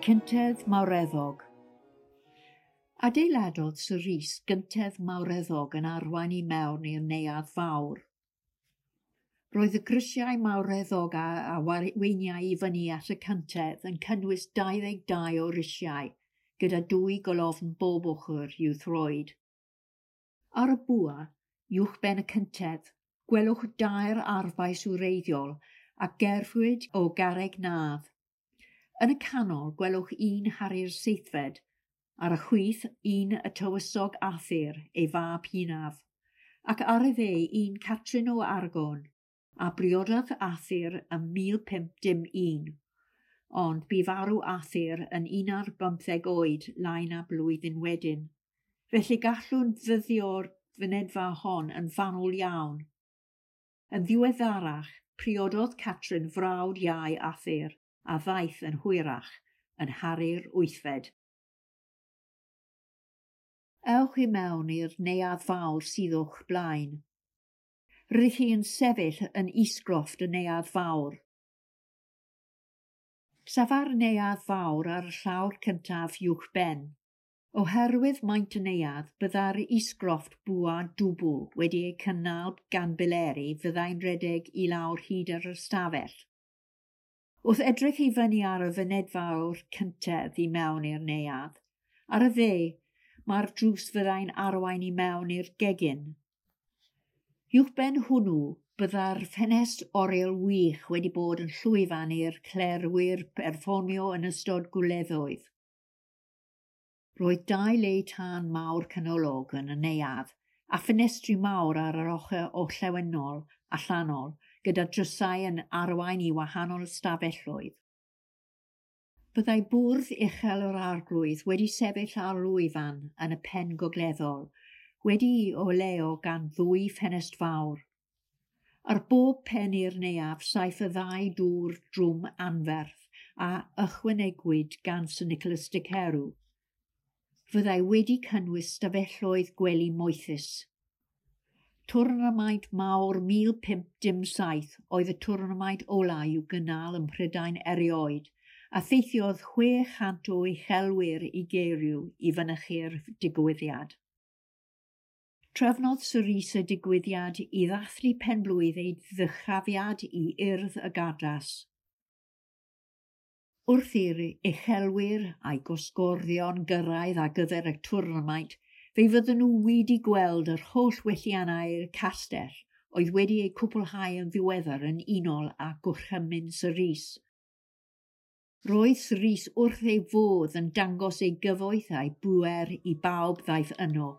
Cyntedd mawreddog. Adeiladodd Sir Rhys gyntedd mawreddog yn arwain i mewn i'r neuadd fawr. Roedd y grisiau mawreddog a arweiniai i fyny at y cyntedd yn cynnwys 22 o risiau, gyda dwy golofn bob ochr i'w throed. Ar y bwa, uwchben y cyntedd, gwelwch dair arfbais wreiddiol a gerfwyd o garreg nadd. Yn y canol gwelwch un Harri'r Seithfed, ar y chwith un y Tywysog Arthur, ei fab hynaf, ac ar y dde un Catrin o Aragon, a briododd Arthur ym 1501, ond bu farw Arthur yn 11 oed lai na blwyddyn wedyn. Felly gallwn ddyddio'r fynedfa hon yn fanwl iawn. Yn ddiweddarach, priododd Catrin frawd iau Arthur, a ddaeth yn hwyrach yn Harri'r Wythfed. Ewch i mewn i'r neuadd fawr sydd o'ch blaen. Rydych chi yn sefyll yn isgrofft y neuadd fawr. Safa'r neuadd fawr ar y llawr cyntaf uwchben. Oherwydd maint y neuadd, byddai'r isgrofft bwa dwbl wedi ei cynnal gan bileri fyddai'n rhedeg i lawr hyd yr ystafell. Wrth edrych i fyny ar y fynedfa o'r cyntedd i mewn i'r neuadd, ar y dde mae'r drws fyddai'n arwain i mewn i'r gegin. Uwchben hwnnw byddai'r ffenest oriel wych wedi bod yn llwyfan i'r clerwyr perfformio yn ystod gwleddoedd. Roedd dau le tân mawr canolog yn y neuadd a ffenestri mawr ar yr ochr orllewinol allanol gyda drysau yn arwain i wahanol ystafelloedd. Byddai bwrdd uchel yr arglwydd wedi sefyll ar lwyfan yn y pen gogleddol, wedi'i oleuo gan ddwy ffenest fawr. Ar bob pen i'r neuadd saif y ddau dŵr drwm anferth a ychwanegwyd gan Sir Nicholas de Carew. Fyddai wedi cynnwys stafelloedd gwely moethus. Twrnamaint mawr 1507 oedd y twrnamaint ola i'w gynnal ym Mhrydain erioed, a theithiodd 600 o uchelwyr i Gaeriw i fynychu'r digwyddiad. Trefnodd Sir Rhys y digwyddiad i ddathlu penblwydd ei ddyrchafiad i Urdd y Gardas. Wrth i'r uchelwyr a'i gosgorddion gyrraedd ar gyfer y twrnamaint, fe fydden nhw wedi gweld yr holl welliannau i'r castell oedd wedi eu cwblhau yn ddiweddar yn unol â gorchymyn Sir Rhys. Roedd Sir Rhys wrth ei fodd yn dangos ei gyfoeth a'i bŵer i bawb ddaeth yno.